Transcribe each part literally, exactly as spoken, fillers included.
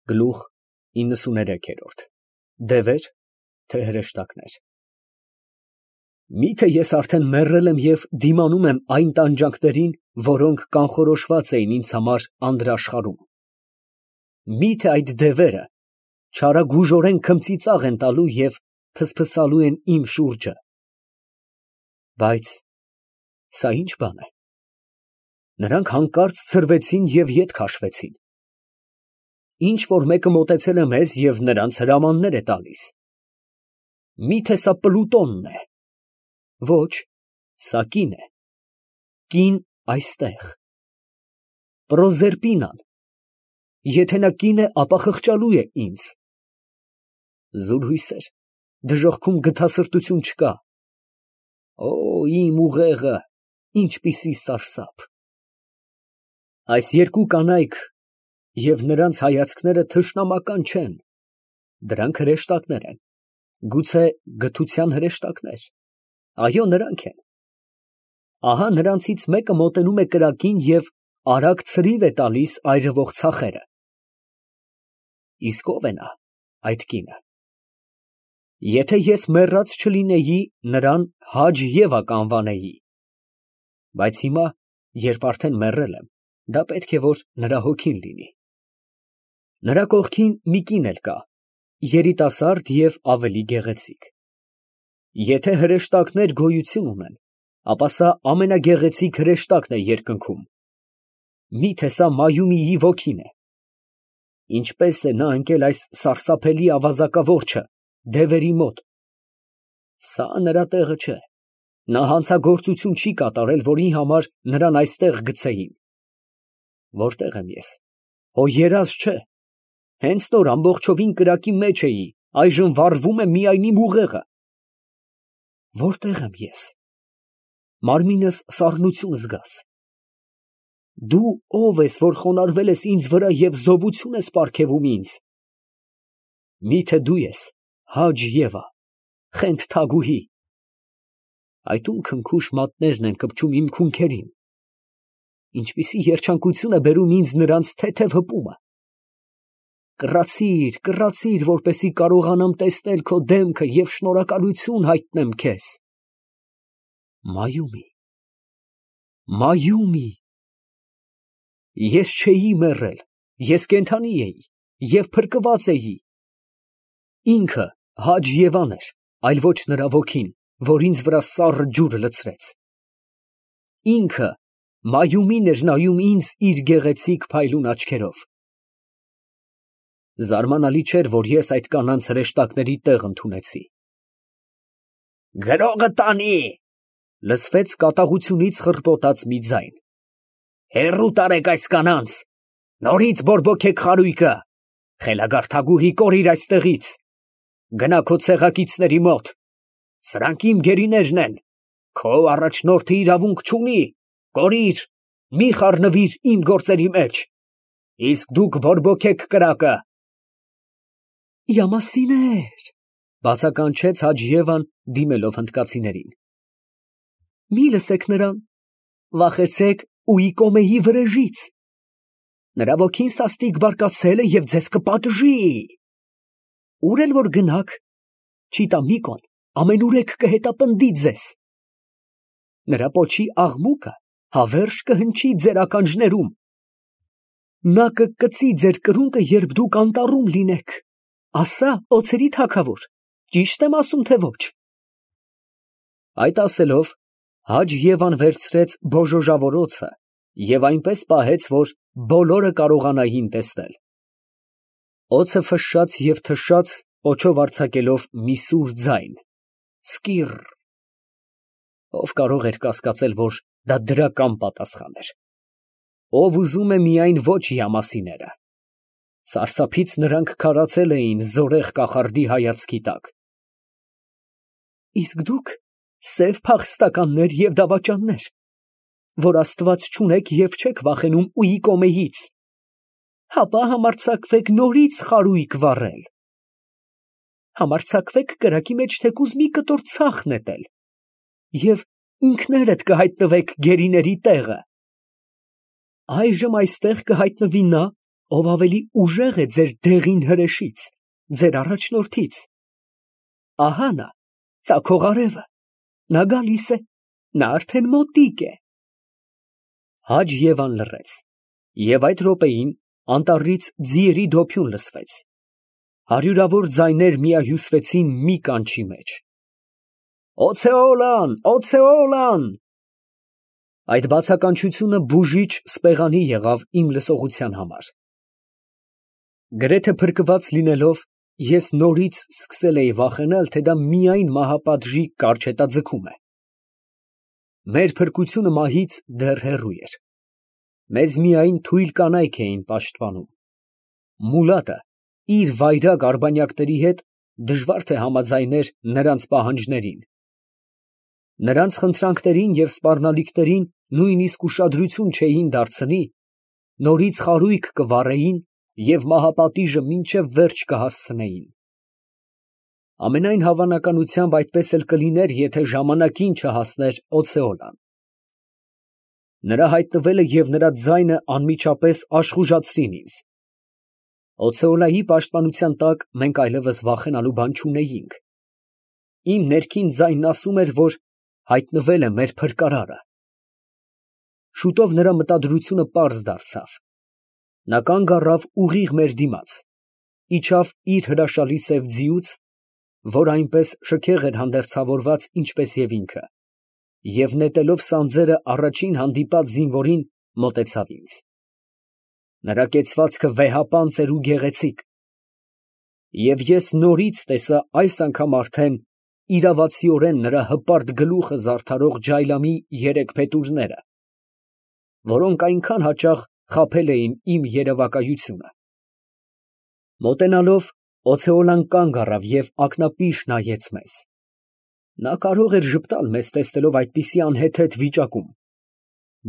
Գլուխ իննսուներեք։ Դևեր, թե հրեշտակներ։ Միթե ես արդեն մեռել եմ և դիմանում եմ այն տանջանքներին, որոնք կանխորոշված էին ինձ համար անդրաշխարհում. միթե այդ դևերը չարագուժորեն քմծիծաղ են տալու և փսփսալու են իմ շուրջը։ Բայց սա ի՞նչ բան է։ Նրանք հանկարծ ցրվեցին և ետ քաշվեցին։ Ինչ որ մեկը մոտեցել է մեզ և նրանց հրամաններ է տալիս։ Միթե սա Պլուտոնն է։ Ոչ, սա կին է, կին այստեղ, Պրոզերպինան, եթե նա կին է, ապա խղճալու է ինձ։ Զուրհույսեր, դժոխքում գթասրտություն չկա։ Օ, իմ ուղեղը, ինչպիսի սարսափ։ Այս երկու կանայք և նրանց հայացքները թշնամական չեն, դրանք հրեշտակներ են, գուցե գթության հրեշտակներ, այո, նրանք են։ Ահա նրանցից մեկը մոտենում է կրակին և արագ ցրիվ է տալիս այրվող ցախերը։ Իսկ ո՞վ է նա, այդ կինը։ Եթե ես մեռած չլինեի, նրան Հաջ Եվա կանվանեի, բայց հիմա, երբ արդեն մեռել եմ, դա պետք է որ նրա հոգին լինի։ Նրա կողքին մի կին էլ կա, երիտասարդ և ավելի գեղեցիկ։ Եթե հրեշտակներ գոյություն ունեն, ապա սա ամենագեղեցիկ հրեշտակն է երկնքում։ Միթե սա Մայումիի ոգին է։ Ինչպես է նա ընկել այս սարսափելի ավազակավորչը դևերի մոտ։ Սա նրա տեղը չէ, նա հանցագործություն չի կատարել, որի համար նրան այստեղ գցեին։ Որտե՞ղ եմ ես, հո երազ չէ, հենց նոր ամբողջովին կրակի մեջ էի, այժմ վառվում է միայն իմ ուղեղը։ Որտե՞ղ եմ ես, մարմինս սառնություն զգաց։ Դու ո՞վ ես, որ խոնարհվել ես ինձ վրա և զովություն ես պարգևում ինձ։ Միթե դու ես Հաջ Եվա, խենթ թագուհի։ Այդ ում քնքուշ մատներն են կպչում իմ քունքերին։ Ինչպիսի երջանկություն է բերում ինձ նրանց թեթև հպումը։ Կռացիր, կռացիր, որպեսզի կարողանամ տեսնել քո դեմքը և շնորհակալություն հայտնեմ քեզ։ Մայումի, Մայումի։ Ես չէի մեռել, ես կենդանի էի և փրկված էի։ Ինքը Հաջ Եվան էր, այլ ոչ նրա ոգին, որ ինձ վրա սառը ջուր լցրեց։ Ինքը Մայումին էր նայում ինձ իր գեղեցիկ փայլուն աչքերով։ Զարմանալի չէր, որ ես այդ կանանց հրեշտակների տեղ ընդունեցի։ Գրողը տանի, լսվեց կատաղությունից խռպոտած մի ձայն։ Հեռու տարեք այս կանանց, նորից բորբոքեք խարույկը, խելագար թագուհի, կորիր այստեղից, գնա քո ցեղակիցների մոտ, սրանք իմ գերիներն են, քո առաջնորդը իրավունք չունի, կորիր, մի խառնվիր իմ գործերի մեջ, իսկ դուք բորբոքեք կրակը։ Յամասիներ, բացականչեց Հաջ Եվան, դիմելով հնդկացիներին։ Մի լսեք նրան, վախեցեք Ուիկոմեի վրեժից։ Նրա ոգին սաստիկ բարկացել է և ձեզ կպատժի։ Ուր էլ որ գնաք, Չիտամիկոն ամենուրեք կհետապնդի ձեզ։ Նրա պոչի աղմուկը հավերժ կհնչի ձեր ականջներում։ Նա կկծի ձեր կրունկը, երբ դուք անտառում լինեք։ Ասա, օձերի թագավոր, ճի՞շտ եմ ասում, թե ոչ։ Այդ ասելով, Հաջ Եվան վերցրեց բոժոժավորոցը և այնպես պահեց, որ բոլորը կարողանային տեսնել։ Օձը ֆշշաց և թշաց, պոչով արձակելով մի սուր ձայն. Սկիռ։ Ով կարող էր կասկածել, որ դա դրական պատասխան էր։ Ով ուզում է միայն ոչ յամասիները։ Սարսափից նրանք քարացել էին զորեղ կախարդի հայացքի տակ։ Իսկ դուք սև փախստականներ և դավաճաններ, որ Աստված չունեք և չեք վախենում Ուիկոմեից, հապա համարձակվեք նորից խարույկ վառել։ Համարձակվեք կրակի մեջ թեկուզ մի կտոր ցախ նետել, և ինքներդ կհայտնվեք գերիների տեղը։ Այժմ այստեղ կհայտնվի նա, ով ավելի ուժեղ է ձեր դեղին հրեշից, ձեր առաջնորդից։ Ահա նա, ծագող արևը, նա գալիս է, նա արդեն մոտիկ է։ Հաջ Եվան լռեց, և այդ րոպեին անտառից ձիերի դոփյուն լսվեց, հարյուրավոր ձայներ միահյուսվեցին մի կանչի մեջ. «Օձեոլան, օձեոլան»։ Այդ բացականչությունը բուժիչ սպեղանի եղավ իմ լսողության համար։ Գրեթե փրկված լինելով, ես նորից սկսել էի վախենալ, թե դա միայն մահապատժի կարճ հետաձգում է։ Մեր փրկությունը մահից դեռ հեռու էր։ Մեզ միայն թույլ կանայք էին պաշտպանում։ Մուլատը իր վայրագ արբանյակների հետ դժվար թե համաձայներ նրանց պահանջներին։ Նրանց խնդրանքներին և սպառնալիքներին նույնիսկ ուշադրություն չէին դարձնի, նորից խարույկ կվառեին և մահապատիժը մինչև վերջ կհասցնեին։ Ամենայն հավանականությամբ այդպես էլ կլիներ, եթե ժամանակին չհասներ Օձեոլան։ Նրա հայտնվելը և նրա ձայնը անմիջապես աշխուժացրին ինձ։ Օձեոլայի պաշտպանության տակ մենք այլևս վախենալու բան չունեինք։ Իմ ներքին ձայնն ասում էր, որ հայտնվել է մեր փրկարարը։ Շուտով նրա մտադրությունը պարզ դարձավ։ Նա կանգ առավ ուղիղ մեր դիմաց, իջավ իր հրաշալի սև ձիուց, որ այնպես շքեղ էր հանդերձավորված, ինչպես և ինքը, և նետելով սանձերը առաջին հանդիպած զինվորին, մոտեցավ ինձ։ Նրա կեցվածքը վեհապանծ էր ու գեղեցիկ, և ես նորից տեսա այս անգամ արդեն իրավացիորեն նրա հպարտ գլուխը զարդարող ջայլամի երեք փետուրները, որոնք այնքան հաճախ խաբել էին իմ երևակայությունը։ Մոտենալով, Օձեոլան կանգ առավ և ակնապիշ նայեց մեզ։ Նա կարող էր ժպտալ մեզ տեսնելով այդպիսի անհեթեթ վիճակում,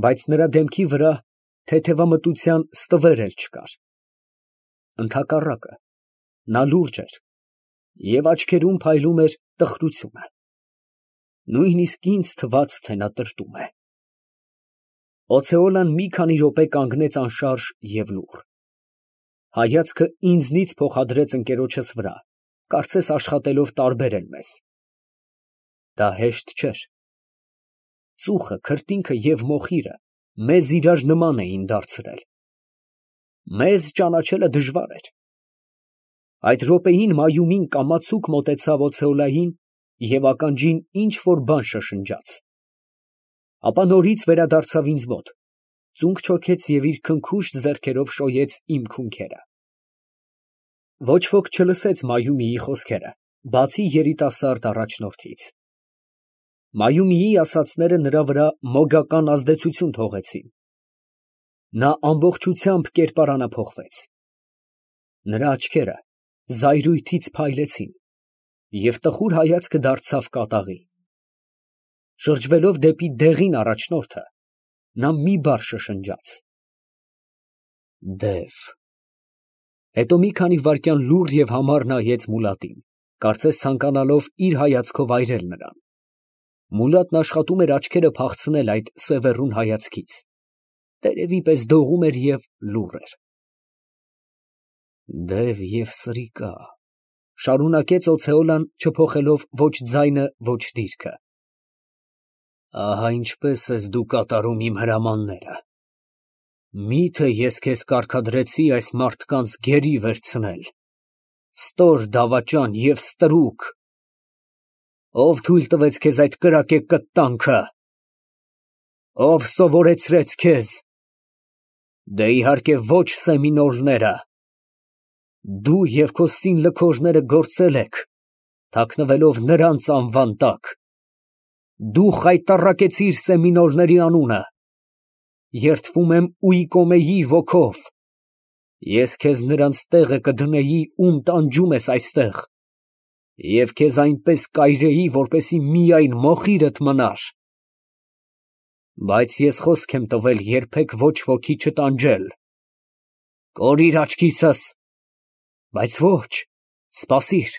բայց նրա դեմքի վրա թեթևամտության ստվեր էլ չկար։ Ընդհակառակը, նա լուրջ էր և աչքերում փայլում էր տխրությունը։ Նույնիսկ ինձ թվաց, թե նա տրտում է։ Օձեոլան մի քանի րոպե կանգնեց անշարժ և լուռ։ Հայացքը ինձնից փոխադրեց ընկերոջս վրա, կարծես աշխատելով տարբերել մեզ։ Դա հեշտ չէր։ Ծուխը, քրտինքը և մոխիրը մեզ իրար նման էին դարձրել։ Մեզ ճանաչելը դժվար էր։ Այդ րոպեին Մայումին կամացուկ մոտեցավ Օձեոլային և ականջին ինչ֊որ բան շշնջաց։ Ապա նորից վերադարձավ ինձ մոտ, ծունկ չոքեց և իր քնքուշտ ձեռքերով շոյեց իմ քունքերը։ Ոչ ոք չլսեց Մայումիի խոսքերը, բացի երիտասարդ առաջնորդից։ Մայումիի ասածները նրա վրա մոգական ազդեցություն թողեցին։ Նա ամբողջությամբ կերպարանափոխվեց։ Նրա աչքերը զայրույթից փայլեցին, և տխուր հայացքը դարձավ կատաղի։ Շրջվելով դեպի դեղին առաջնորդը, նա մի բառ շշնջաց. «Դև»։ Հետո մի քանի վայրկյան լուռ և համառ նայեց Մուլատին, կարծես ցանկանալով իր հայացքով այրել նրան։ Մուլատն աշխատում էր աչքերը փախցնել այդ սևեռուն հայացքից, տերևի պես դողում էր և լուռ էր։ «Դև և սրիկա», ֊ շարունակեց Օձեոլան, չփոխելով ոչ ձայնը, ոչ դիրքը։ «Ահա ինչպես ես դու կատարում իմ հրամանները։ Մի՞թե ես քեզ կարգադրեցի այս մարդկանց գերի վերցնել, ստոր դավաճան և ստրուկ։ Ո՞վ թույլ տվեց քեզ այդ կրակե կտտանքը։ Ո՞վ սովորեցրեց քեզ։ Դե, իհարկե, ոչ Սեմինոլները։ Դու և քո սինլքոժները գործել եք, թաքնվելով նրանց անվան տակ։ Դու խայտառակեցիր Սեմինոլների անունը։ Երդվում եմ Ուիկոմեի ոգով։ Ես քեզ նրանց տեղը կդնեի, ում տանջում ես այստեղ, և քեզ այնպես կայրեի, որպեսզի միայն մոխիրդ մնար։ Բայց ես խոսք եմ տվել երբեք ոչ ոքի չտանջել։ Կորիր աչքիցս։ Բայց ոչ, սպասիր,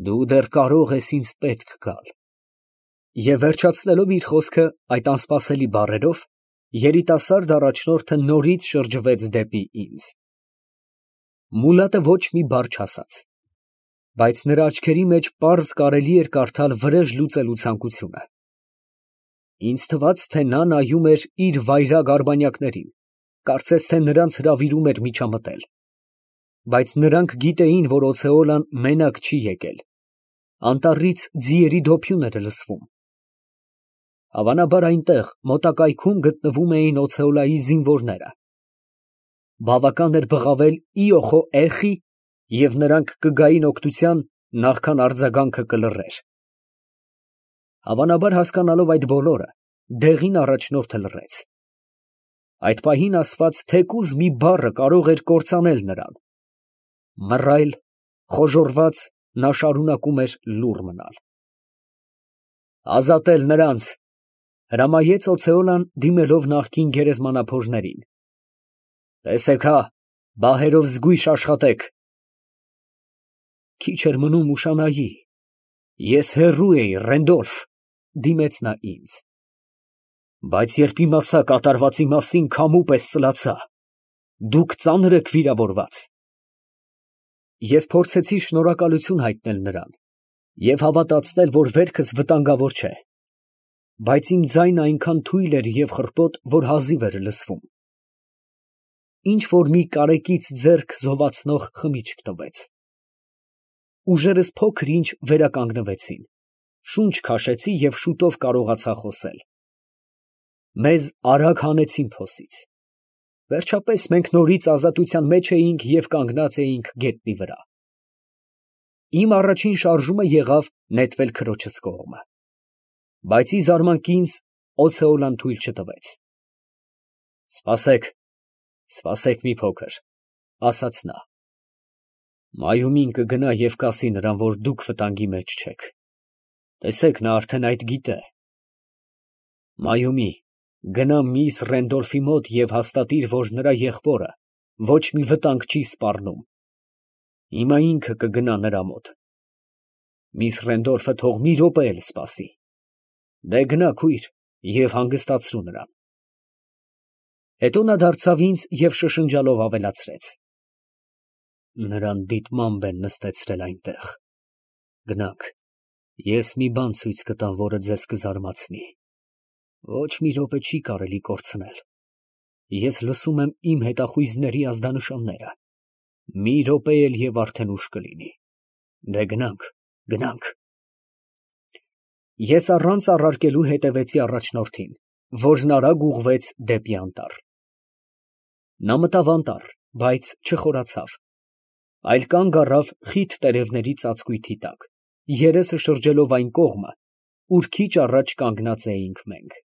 դու դեռ կարող ես ինձ պետք գալ։ Եվ վերջացնելով իր խոսքը այդ անսպասելի բառերով, երիտասարդ առաջնորդը նորից շրջվեց դեպի ինձ։ Մուլատը ոչ մի բառ չասաց, բայց նրա աչքերի մեջ պարզ կարելի էր կարդալ վրեժ լուծելու ցանկությունը։ Ինձ թվաց, թե նա նայում էր իր վայրագ արբանյակներին, կարծես թե նրանց հրավիրում էր միջամտել։ Բայց նրանք գիտեին, որ օցեոլան մենակ չի եկել, անտառից ձիերի դոփյուն էր լսվում։ Հավանաբար այնտեղ մոտակայքում գտնվում էին օցեոլայի զինվորները։ Բավական էր բղավել «Իոխո էխի» և նրանք կգային օգնության, նախքան արձագանքը կլռեր։ Հավանաբար հասկանալով այդ բոլորը, դեղին առաջնորդը լռեց։ Այդ պահին ասված թեկուզ մի բառը կարող էր կործանել նրան։ Մռայլ, խոժոռված, նա շարունակում էր լուռ մնալ։ «Ազատել նրանց», ֊ հրամայեց օցեոլան, դիմելով նախկին գերեզմանափոշներին։ «Տեսեք հա, բահերով զգույշ աշխատեք»։ Քիչ էր մնում ուշանայի։ Ես հեռու էի, Ռենդոլֆ, ֊ դիմեց նա ինձ։ Բայց երբ իմացա կատարվածի մասին, քամու պես ծլացա։ Դուք ծանր եք վիրավորված։ Ես փորձեցի շնորհակալություն հայտնել նրան և հավատացնել, որ վերքս վտանգավոր չէ, բայց իմ ձայնը այնքան թույլ էր և խռպոտ, որ հազիվ էր լսվում։ Ինչ֊որ մի կարեկից ձեռք զովացնող խմիչք տվեց։ Ուժերս փոքր֊ինչ վերականգնվեցին, շունչ քաշեցի և շուտով կարողացա խոսել։ Մեզ արագ հանեցին փոսից։ Վերջապես մենք նորից ազատության մեջ էինք և կանգնած էինք գետնի վրա։ Իմ առաջին շարժումը եղավ նետվել քրոջս կողմը, բայց ի զարմանք ինձ օցեոլան թույլ չտվեց։ «Սպասեք, սպասեք մի փոքր, ֊ ասաց նա. ֊ Մայումին կգնա և կասի նրան, որ դուք վտանգի մեջ չեք. տեսեք, նա արդեն այդ գիտե։ Մայումի, գնա միիս Ռենդոլֆի մոտ և հաստատիր, որ նրա եղբորը ոչ մի վտանգ չի սպառնում։ Հիմա ինքը կգնա նրա մոտ։ Միս Ռենդոլֆը թող մի րոպե էլ սպասի։ Դե գնա քույր և հանգստացրու նրան։ Հետո նա դարձավ ինձ և շշնջալով ավելացրեց. նրան դիտմամբ են նստեցրել այնտեղ։ Գնանք, ես մի բան ցույց կտամ, որը ձեզ կզարմացնի։ Ոչ մի րոպե չի կարելի կորցնել։ Ես լսում եմ իմ հետախույզների ազդանշանները։ Մի րոպե էլ և արդեն ուշ կլինի։ Դե գնանք, գնանք։ Ես առանց առարկելու հետևեցի առաջնորդին, որն արագ ուղղվեց դեպի անտառ։ Նա մտավ անտառ, բայց չխորացավ, այլ կանգ առավ խիտ տերևների ծածկույթի տակ, երեսը շրջելով այն կողմը, ուր քիչ առաջ կանգնած էինք մենք։